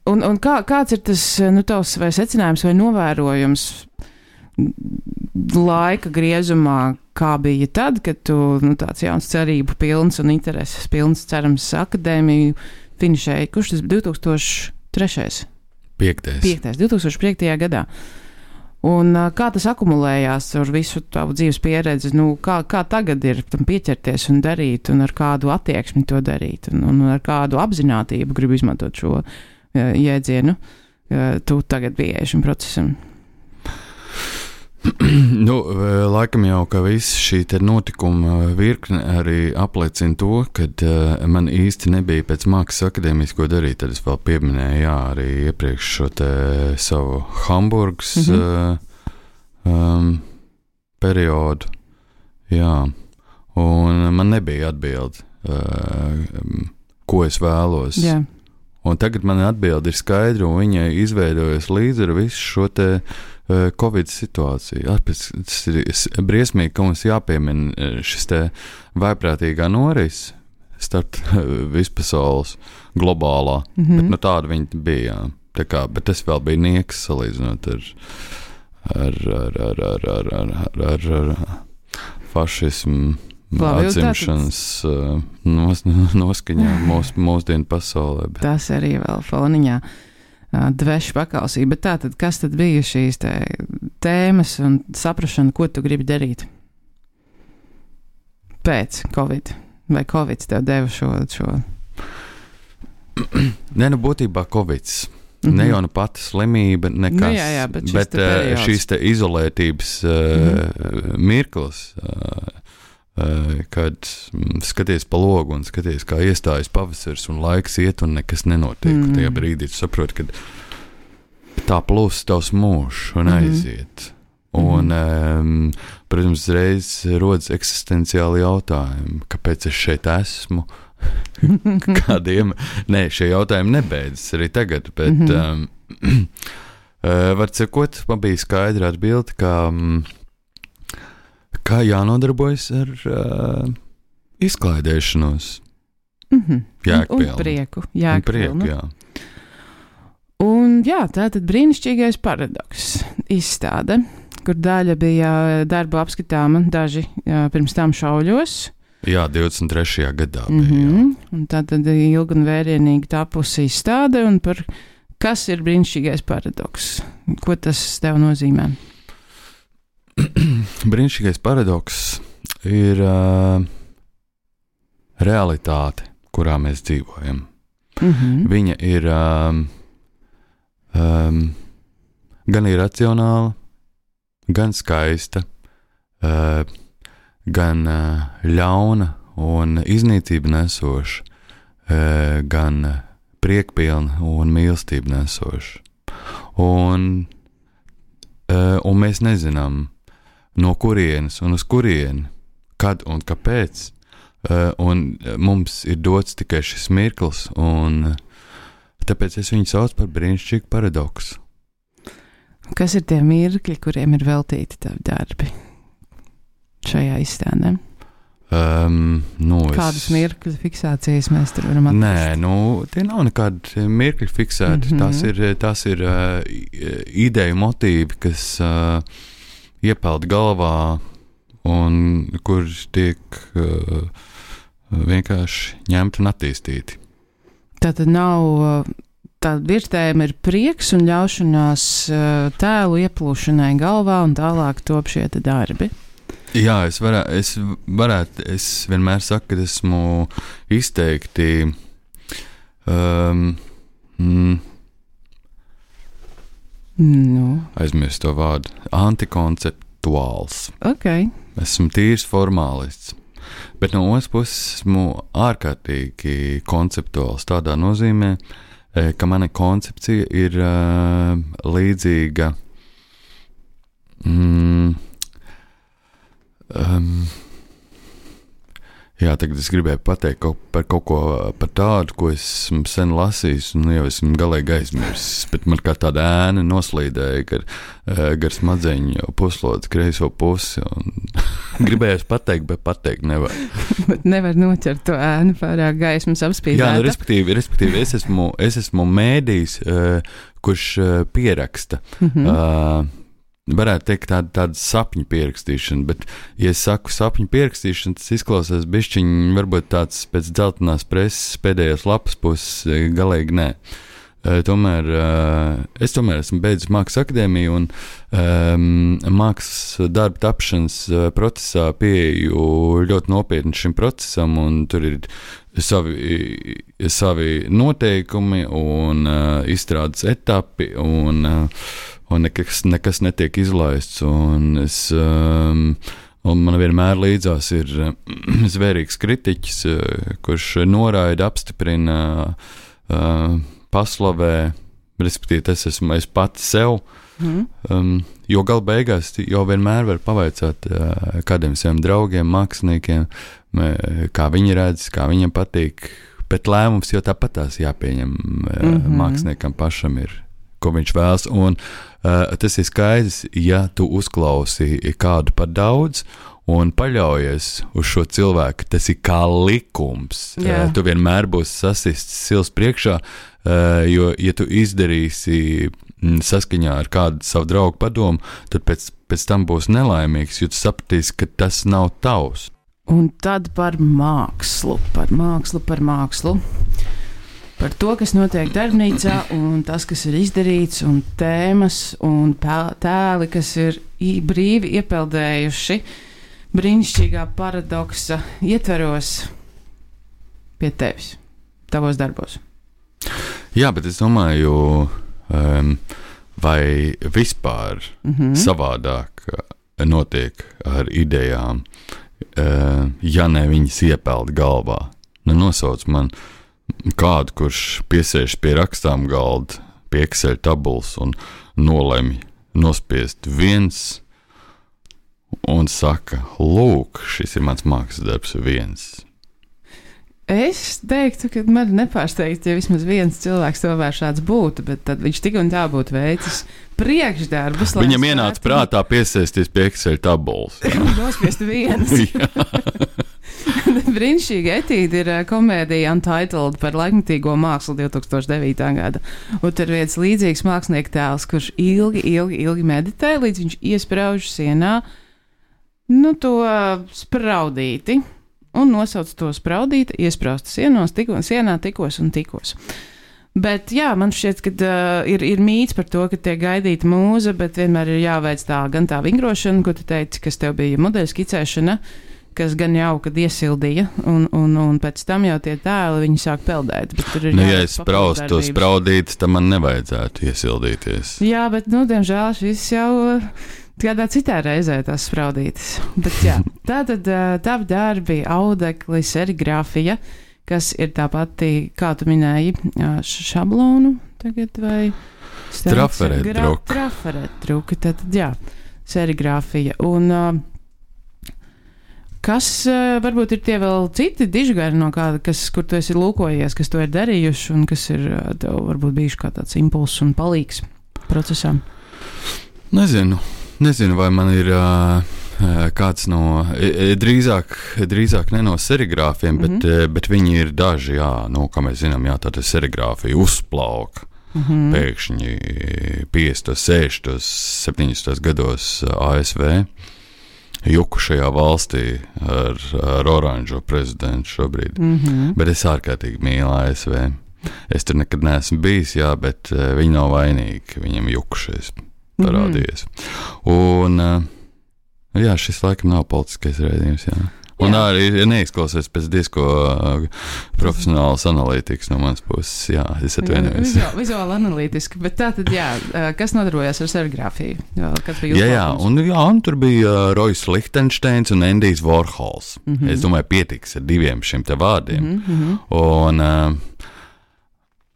un kāds ir tas tavs vai secinājums vai novērojums laika griezumā, kā bija tad, kad tu tāds jauns cerību pilns un intereses pilns, cerams, akadēmiju finišēji? Kurš tas 2000? 3. 5. 2005. gadā. Un kā tas akumulējās ar visu tavu dzīves pieredzi? Kā tagad ir tam pieķerties un darīt, un ar kādu attieksmi to darīt, un ar kādu apzinātību, gribu izmantot šo jēdzienu, tu tagad pieeji šim procesam? Laikam jau, ka viss šī notikuma virkne arī apliecina to, kad man īsti nebija pēc mākslas akadēmijas ko darīt. Tad es vēl pieminēju, arī iepriekš šo te savu Hamburgas periodu. Jā, un man nebija atbildi, ko es vēlos. Jā. Un tagad man atbildi ir skaidra, un viņa izveidojas līdz ar visu šo te Covid situāciju. Tas ir briesmīgi, ka mums jāpiemina šis te vaiprātīgā norise starp vispasaules globālā, bet tāda viņa bija. Bet tas vēl bija nieks salīdzinot ar fašismu atzimšanas noskaņā mūsdienu pasaulē. Bet. Tas arī vēl foniņā dvešu paklausīja. Bet tātad, kas tad bija šīs tēmas un saprašana, ko tu gribi darīt pēc Covid? Vai Covid tev deva šo? Būtībā Covid. Ne jau pati slimība, nekas, jā, bet šīs te izolētības mirklis, kad skaties pa logu un skaties, kā iestājas pavasars un laiks iet un nekas nenotiek. Tajā brīdī tu saproti, ka tā plūst tavs mūžs un aiziet. Un, protams, reiz rodas eksistenciāli jautājumi, kāpēc es šeit esmu, kādiem, šie jautājumi nebeidzas arī tagad, bet var cikot, man bija skaidra atbilde, kā jānodarbojas ar izklaidēšanos. Un prieku. Jā. Un tā tad brīnišķīgais paradoks izstāde, kur daļa bija darbu apskatāma, daži pirms tam šauļos. Jā, 23. gadā bija. Un tā tad ilgi un vērienīgi tapusi izstāde, un par kas ir brīnišķīgais paradoks? Ko tas tev nozīmē? Brīnišķīgais paradoks ir realitāte, kurā mēs dzīvojam. Viņa ir gan iracionāla, gan skaista, gan ļauna un iznīcība nesoša, gan priekpilna un mīlestība nesoša. Un mēs nezinām, no kurienes un uz kurieni, kad un kāpēc, un mums ir dots tikai šis mirklis, un tāpēc es viņu saucu par brīnišķīgu paradoksu. Kas ir tie mirkļi, kuriem ir veltīti tavi darbi šajā izstādē? Kādas mirkļu fiksācijas mēs tur varam atrast? Tie nav nekādi mirkļi fiksēti. Tās ir ideju motīvi, kas iepeld galvā un kurš tiek vienkārši ņemti un attīstīti. Tātad nav, tāda virsējuma ir prieks un ļaušanās tēlu ieplūšanai galvā un tālāk top šie darbi. Jā, es vienmēr saku, ka esmu izteikti aizmirst to vārdu, antikonceptuāls. Okay. Esmu tīrs formālists, bet no otras puses esmu ārkārtīgi konceptuāls tādā nozīmē, ka mana koncepcija ir līdzīga tagad es gribēju pateikt par kaut ko par tādu, ko esmu sen lasījis un jau esmu galīgi aizmirsis, bet man kā tāda ēna noslīdēja gar smadzeņu puslodzi kreiso pusi un gribējos pateikt, bet pateikt nevar. Bet nevar noķert to ēnu pārāk gaismas apspīdēta. Jā, respektīvi es esmu mēdījis, kurš pieraksta. Varētu teikt tāda sapņu pierakstīšana, bet, ja es saku sapņu pierakstīšana, tas izklausās bišķiņ, varbūt tāds pēc dzeltenās preses pēdējās lapas puses, galīgi nē. tomēr es esmu beidzis Mākslas akadēmiju un mākslas darba tapšanas procesā pieeju ļoti nopietni šim procesam, un tur ir savi noteikumi un izstrādes etapi, un nekas netiek izlaists, un man vienmēr līdzās ir zvērīgs kritiķis, kurš noraida, apstiprina, paslavē, respektīvi tas esmu es pats sev, jo gala beigās jau vienmēr var pavaicāt kādiem saviem draugiem, māksliniekiem, kā viņi redz, kā viņiem patīk, bet lēmums jau tāpatās jāpieņem māksliniekam pašam ir, ko viņš vēlas, un tas ir skaidrs, ja tu uzklausi kādu par daudz un paļaujies uz šo cilvēku, tas ir kā likums. Tu vienmēr būsi sasists sils priekšā, jo, ja tu izdarīsi saskaņā ar kādu savu draugu padomu, tad pēc tam būs nelaimīgs, jo tu sapratīsi, ka tas nav tavs. Un tad par mākslu. Par to, kas notiek darbnīcā, un tas, kas ir izdarīts, un tēmas, un tēli, kas ir brīvi iepeldējuši brīnišķīgā paradoksa ietveros pie tevis, tavos darbos. Jā, bet es domāju, vai vispār savādāk notiek ar idejām, ja ne viņas iepeld galvā. Nosauc man kādu, kurš piesēž pie rakstām galda, pie Excel tabulas un nolemj nospiest viens un saka, lūk, šis ir mans mākslas darbs viens. Es teiktu, ka man nepārsteigts, ja vismaz viens cilvēks tomēr šāds būtu, bet tad viņš tik un tā būtu veicis priekšdarbus. Viņam ienāca prātā piesēsties pie Excel tabulas. Nospiest viens. Brīnišķīga etīde ir komēdija Untitled par laikmatīgo mākslu 2009. gada. Un tur viens līdzīgs mākslinieka tēls, kurš ilgi meditē, līdz viņš iesprauž sienā to spraudīti un nosauc to spraudīti, iespraustu sienā tikos. Bet jā, man šķiet, ka ir mīts par to, ka tiek gaidīta mūza, bet vienmēr ir jāveic gan tā vingrošana, ko tu teici, kas tev bija modeļu skicēšana, kas gan jau, kad iesildīja, un pēc tam jau tie tēli, viņi sāk peldēt. Ja es spraustu to spraudīt, tad man nevajadzētu iesildīties. Jā, bet, diemžēl šis jau kādā citā reizē tās spraudītas. Bet jā, tātad tavi darbi, audekli, serigrāfija, kas ir tā pati, kā tu minēji, šablonu tagad vai? Trafaretdruka, tad jā, serigrāfija. Un kas varbūt ir tie vēl citi dižgari no kāda, kur tu esi lūkojies, kas to ir darījuši un kas ir tev varbūt bijuši kā tāds impulss un palīgs procesam? Nezinu, vai man ir kāds no, drīzāk ne no serigrāfiem, bet viņi ir daži, kā mēs zinām, tāda serigrāfija uzplauka. Pēkšņi 50, 60, 70 gados ASV. Jukušajā valstī ar oranžo prezidentu šobrīd. Bet es ārkārtīgi mīlu ASV. Es tur nekad neesmu bijis, bet viņi nav vainīgi, viņiem jukušies parādījies. Un šis laikam nav politiskais raidījums, Un arī neizklausies pēc diezko profesionāls analītikas no manas puses. Jā, es atvainojos. Vizuāli analītiski, bet tā tad, kas nodarbojās ar serigrāfiju? Un tur bija Roijs Lichtensteins un Endijs Vorhols. Es domāju, pietiks ar diviem šiem te vārdiem. Un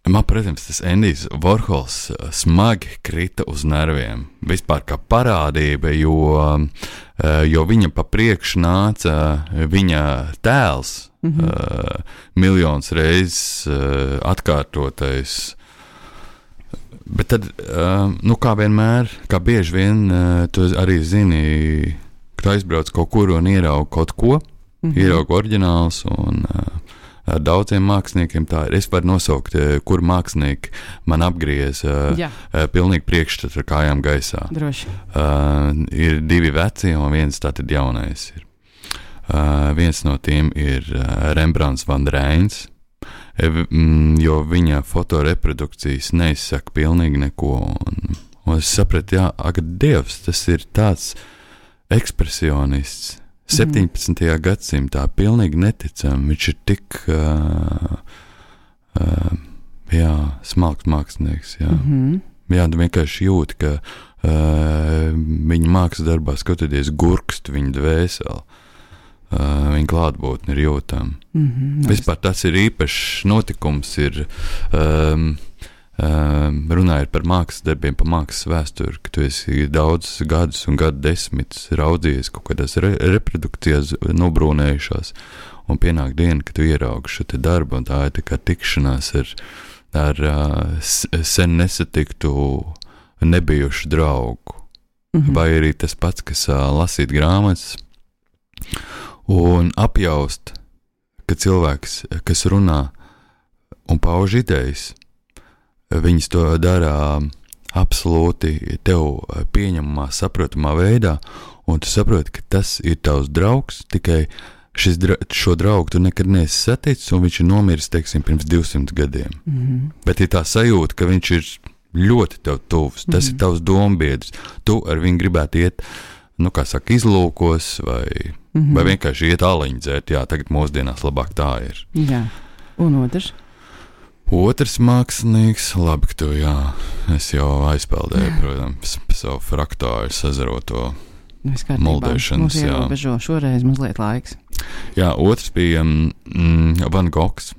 man, protams, tas Endijs Vorhols smagi krita uz nerviem. Vispār kā parādība, jo viņam pa priekšu nāca viņa tēls, miljonus reizes atkārtotais. Bet tad, kā vienmēr, kā bieži vien, tu arī zini, ka tu aizbrauc kaut kur un ieraugi kaut ko, ieraugi oriģināls un ar daudziem māksliniekiem tā ir. Es varu nosaukt, kur mākslinieki man apgriez pilnīgi priekšstatu ar kājām gaisā. Droši. Ir divi veci un viens tātad jaunais ir. Viens no tiem ir Rembrandts van Rijns. jo viņa fotoreprodukcijas neizsaka pilnīgi neko. Un es sapratu, jā, ak, Dievs, tas ir tāds ekspresionists. 17. gadsimtā pilnīgi neticami. Viņš ir tik smalks mākslinieks. Jā. Jā, tu vienkārši jūti, ka viņa mākslas darbā skatoties gurkst viņa dvēseli. Viņa klātbūtne ir jūtama. Vispār tas ir īpašs notikums, ir runājot par mākslas darbiem, par mākslas vēsturi, ka tu esi daudzus gadus un gadu desmitus raudzījies kaut kādās reprodukcijās nobrūnējušās, un pienāk diena, ka tu ieraugi šo te darbu, un tā ir tā kā tikšanās ar sen nesatiktu nebijušu draugu. Vai arī tas pats, kas lasīt grāmatas, un apjaust, ka cilvēks, kas runā un pauž idejas, viņas to dara absolūti tev pieņemamā, saprotamā veidā, un tu saproti, ka tas ir tavs draugs, tikai šo draugu tu nekad neesi saticis, un viņš ir nomiris, teiksim, pirms 200 gadiem. Bet ir tā sajūta, ka viņš ir ļoti tev tuvs, tas ir tavs dombiedrs, tu ar viņu gribētu iet, nu, kā saka, izlūkos, vai vienkārši iet āliņu dzert, jā, tagad mūsdienās labāk tā ir. Jā, un otrs? Otrs mākslinieks, labi, ka tu, jā, es jau aizpeldēju, protams, savu fraktāru sazaroto muldēšanas, jā. Mums ierobežo šoreiz mazliet laiks. Jā, otrs bija Van Goghs,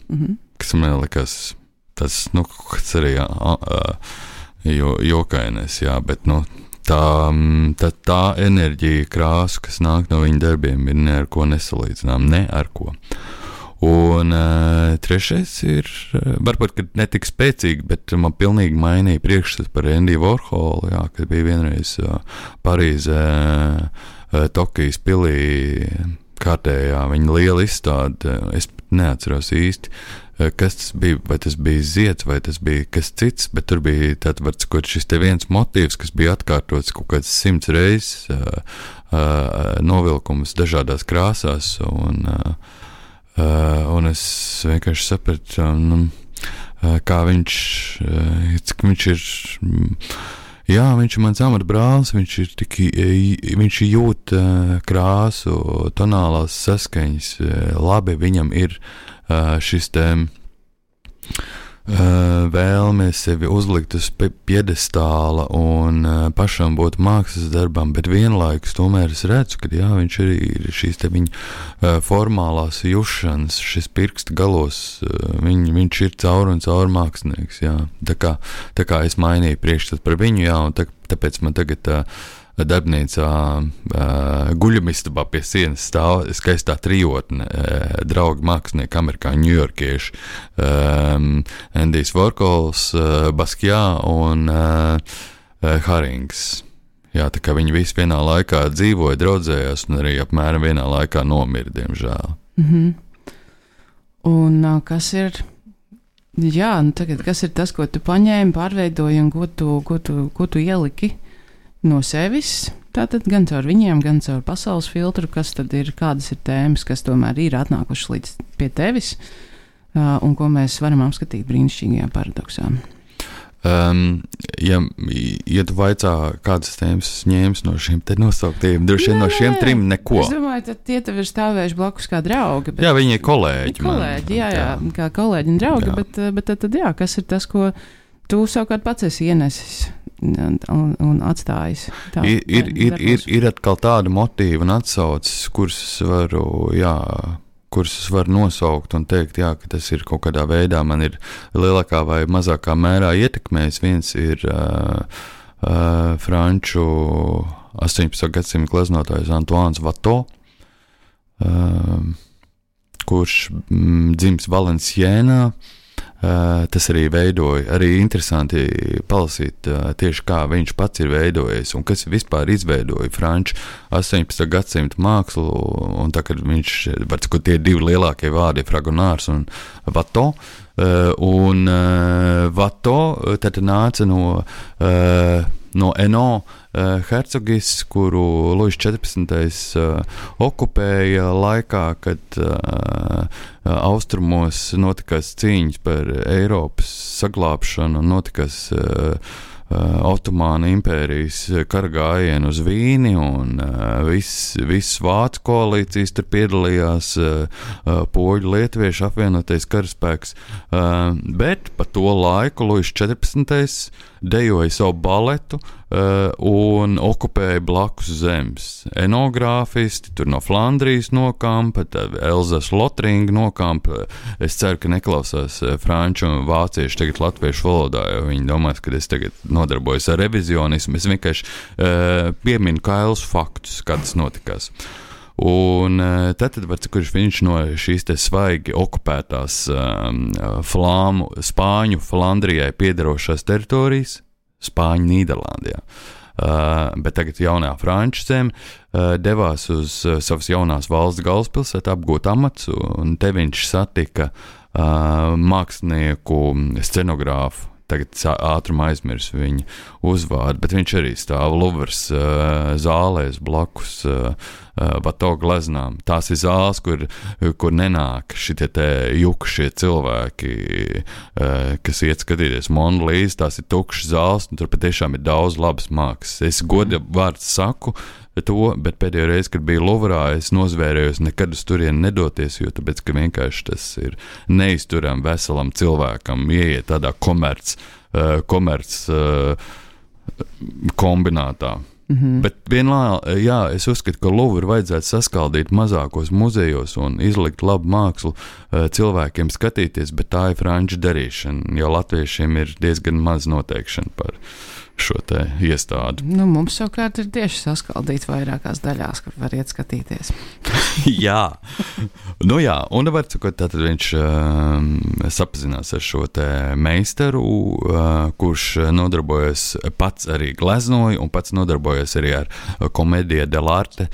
kas man likās tas, nu, kas arī jokainais, jā, bet, nu, tā enerģija, krāsa, kas nāk no viņa darbiem, ir ne ar ko nesalīdzinām, ne ar ko. Un trešais ir, varbūt, ka netik spēcīgi, bet man pilnīgi mainīja priekšstats par Andy Warholu, jā, kad bija vienreiz Parīzē, Tokijas pilī, kārtējā viņa liela izstāde, es neatceros īsti, kas tas bija, vai tas bija zieds, vai tas bija kas cits, bet tur bija tāds šis te viens motīvs, kas bija atkārtots kaut kāds 100 reizes, novilkums dažādās krāsās, un es vienkārši sapratu, kā viņš ir, jā, viņš ir mans amatbrālis, viņš jūt krāsu, tonālās saskaņas, labi, viņam ir šis te vēlme sevi uzlikt uz piedestāla un pašam būt mākslas darbam, bet vienlaikus tomēr es redzu, ka jā, viņš arī ir šīs te viņa formālās jušanas, šis pirksta galos, viņš ir caur un caur mākslinieks, jā. Tā kā es mainīju priekšstat par viņu, jā, un tāpēc man tagad darbnīcā guļamistabā pie sienas stāv skaistā trijotne, draugi mākslinieki, amerikāņu, ņujorkieši, Andijs Warhols, Basquiat un Harings. Jā, tā kā viņi visi vienā laikā dzīvoja, draudzējās un arī apmēram vienā laikā nomira, diemžēl. Un kas ir, jā, nu tagad, kas ir tas, ko tu paņēmi, pārveidoji un ko tu ieliki no sevis, tātad gan caur viņiem, gan caur pasaules filtru, kas tad ir, kādas ir tēmas, kas tomēr ir atnākušas līdz pie tevis, un ko mēs varam apskatīt brīnišķīgajā paradoksā. Ja tu vaicā, kādas tēmas ņēmis no šiem te nosauktiem, droši vien no šiem trim neko. Es domāju, tad tie tev ir stāvējuši blakus kā draugi. Bet, jā, viņi ir kolēģi. Kolēģi, jā, kā kolēģi un draugi, bet tad jā, kas ir tas, ko tu savukārt pats esi ienesis un atstājis. Ir atkal tāda motīva un atsauces, kuras es varu nosaukt un teikt, jā, ka tas ir kaut kādā veidā man ir lielākā vai mazākā mērā ietekmējis. Viens ir franču 18. gadsimta gleznotājs Antoine Watteau, kurš dzimis Valencienā. Tas arī veidoja, arī interesanti palasīt tieši kā viņš pats ir veidojis un kas vispār izveidoja franču 18. gadsimta mākslu, un tā, kad viņš, var teikt, tie divi lielākie vārdi ir Fragonārs un Watteau, un Watteau tad nāca no Eno hercogis, kuru Luis 14. Okupēja laikā, kad austrumos notikās cīņas par Eiropas saglābšanu, notikās Otomāna impērijas kara gājienu uz Vīni, un viss vācu koalīcijas tur piedalījās, poļu lietuviešu apvienotais karaspēks, bet pa to laiku Luis 14. dejoja savu baletu un okupēja blakus zemes. Enogrāfisti tur no Flandrijas nokampa, Elzas Lotringa nokampa. Es ceru, ka neklausās franču un vācieši tagad latviešu valodā, jo viņi domās, ka es tagad nodarbojos ar revizionismu. Es vienkārši pieminu kailus faktus, kā tas notikās. Un tad kurš viņš no šīs te svaigi okupētās Spāņu Flandrijai piederošās teritorijas, Spāņu Nīderlandijā, bet tagad jaunā franču zeme, devās uz savas jaunās valsts galvaspilsētu apgūt amats, un te viņš satika mākslinieku, scenogrāfu, tagad ātrumā aizmirsu viņa uzvārdu, bet viņš arī stāv Luvras zālēs blakus Vato gleznām. Tās ir zāles, kur nenāk šitie te jukušie cilvēki, kas iet skatīties Monu Līzi, tās ir tukšas zāles, un tur patiešām ir daudz labas mākslas. Es goda vārds saku to, bet pēdējo reizi, kad biju Luvrā, es nozvērējos nekad uz turieni nedoties, jo tāpēc, ka vienkārši tas ir neizturam veselam cilvēkam, ieiet tādā komerc kombinātā. Bet vienlaikus, jā, es uzskatu, ka Luvru vajadzētu saskaldīt mazākos muzejos un izlikt labu mākslu cilvēkiem skatīties, bet tā ir franču darīšana, jo latviešiem ir diezgan maz noteikšana par šo te iestādi. Mums savukārt ir tieši saskaldīts vairākās daļās, kur var iet skatīties. Jā, un var sakot, tātad viņš sapazinās ar šo te meistaru, kurš nodarbojas pats arī gleznoja un pats nodarbojas arī ar komēdija dell'arte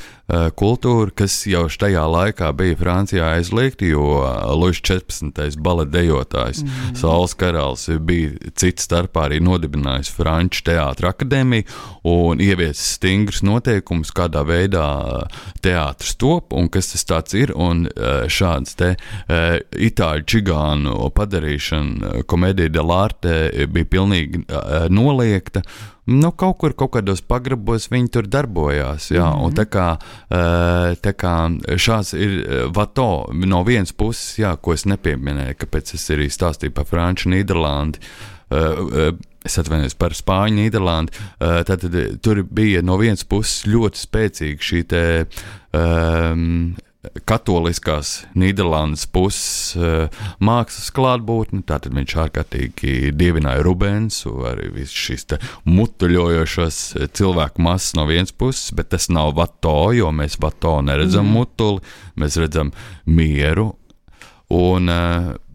kultūru, kas jau štajā laikā bija Francijā aizliegta, jo Luis 14. baletdejotājs Saules Karalis bija cits starpā arī nodibinājis Franču teātra akadēmiju un ieviesis stingrus noteikumus, kādā veidā teātrs top un kas tas tāds ir, un šāds te itāļu čigānu padarīšana komēdija dell'arte bija pilnīgi noliegta. Kaut kādos pagrabos viņi tur darbojās, jā, un tā kā šāds ir Vato no vienas puses, jā, ko es nepieminēju, kāpēc es arī stāstīju par Franču Nīderlandi, es atvainojos par Spāņu Nīderlandi, tātad tur bija no vienas puses ļoti spēcīga šī te katoliskās Nīderlandes puses mākslas klātbūtne, tātad viņš ārkārtīgi dievināja Rubensu, arī visu šīs te mutuļojošos cilvēku masas no vienas puses, bet tas nav Vato, jo mēs Vato neredzam mutuli, mēs redzam mieru,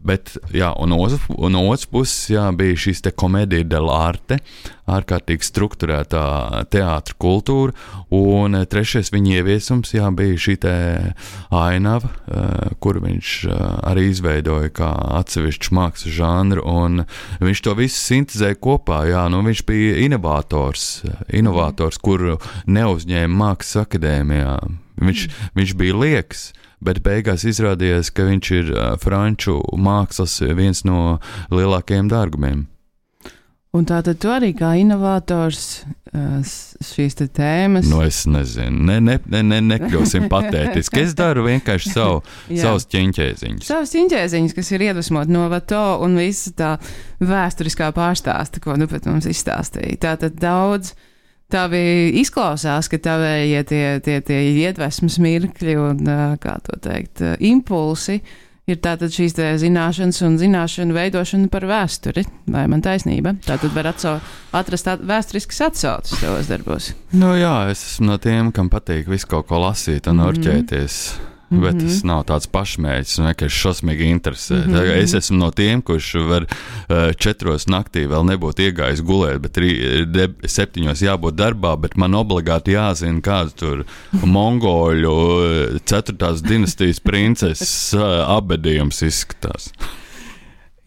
bet, jā, un no otras puses, jā, bija šīs te komēdija dell'arte, ārkārtīgi strukturētā teātra kultūra, un trešais viņa ieviesums, jā, bija šī te ainava, kuru viņš arī izveidoja kā atsevišķu mākslas žanru, un viņš to visu sintezēja kopā, jā, viņš bija inovators, kuru neuzņēma mākslas akadēmijā. Viņš bija lieks, bet beigās izrādījās, ka viņš ir franču mākslas viens no lielākajiem dārgumiem. Un tātad tu arī kā inovators šīs te tēmas? Es nezinu, nekļūsim patētiski. Es daru vienkārši savus ķiņķēziņus. Savus ķiņķēziņus, kas ir iedvesmot no Vato un visa tā vēsturiskā pārstāsta, ko pat mums izstāstīja. Tātad daudz tavi izklausās, ka tavējie tie iedvesmas mirkļi un, kā to teikt, impulsi ir tātad šīs te zināšanas un zināšanu veidošana par vēsturi, vai man taisnība? Tātad var atrast vēsturiskas atsauces tavos darbos. Jā, es esmu no tiem, kam patīk visu kaut ko lasīt un orķēties. Bet tas nav tāds pašmērķis un vienkārši šausmīgi interesē. Es esmu no tiem, kurš var 4 naktī vēl nebūt iegājis gulēt, bet 7 jābūt darbā, bet man obligāti jāzina, kāds tur mongoļu 4. dinastijas princeses abedījums izskatās.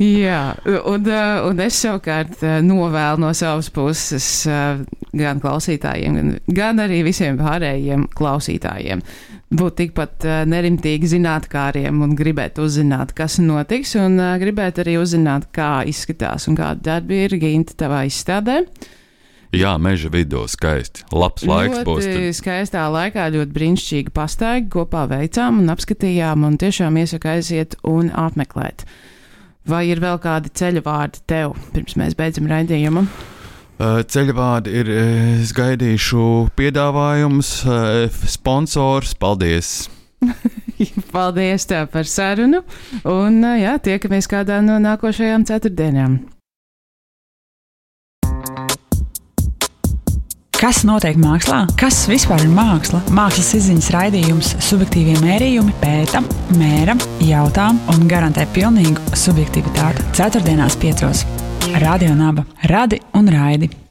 Jā, un es savukārt novēlu no savas puses gan klausītājiem, gan arī visiem pārējiem klausītājiem būt tikpat nerimtīgi zinātkāriem un gribēt uzzināt, kas notiks, un gribēt arī uzzināt, kā izskatās un kāda darbi ir Ginta tavā izstādē. Jā, meža vidū skaisti. Labs laiks būs. Ļoti skaistā laikā, ļoti brīnišķīgi pastaigi kopā veicām un apskatījām, un tiešām iesaku aiziet un apmeklēt. Vai ir vēl kādi ceļavārdi tev, pirms mēs beidzam raidījumu? Ceļavārdi ir, es gaidīšu piedāvājumus, sponsors, paldies! Paldies tev par sarunu, un jā, tiekamies kādā no nākošajām ceturtdienām. Kas notiek mākslā? Kas vispār ir māksla? Mākslas izziņas raidījums Subjektīvie mērījumi pēta, mēra, jautā un garantē pilnīgu subjektivitāti. Ceturtdienās 5. Radio Naba. Radi un raidi!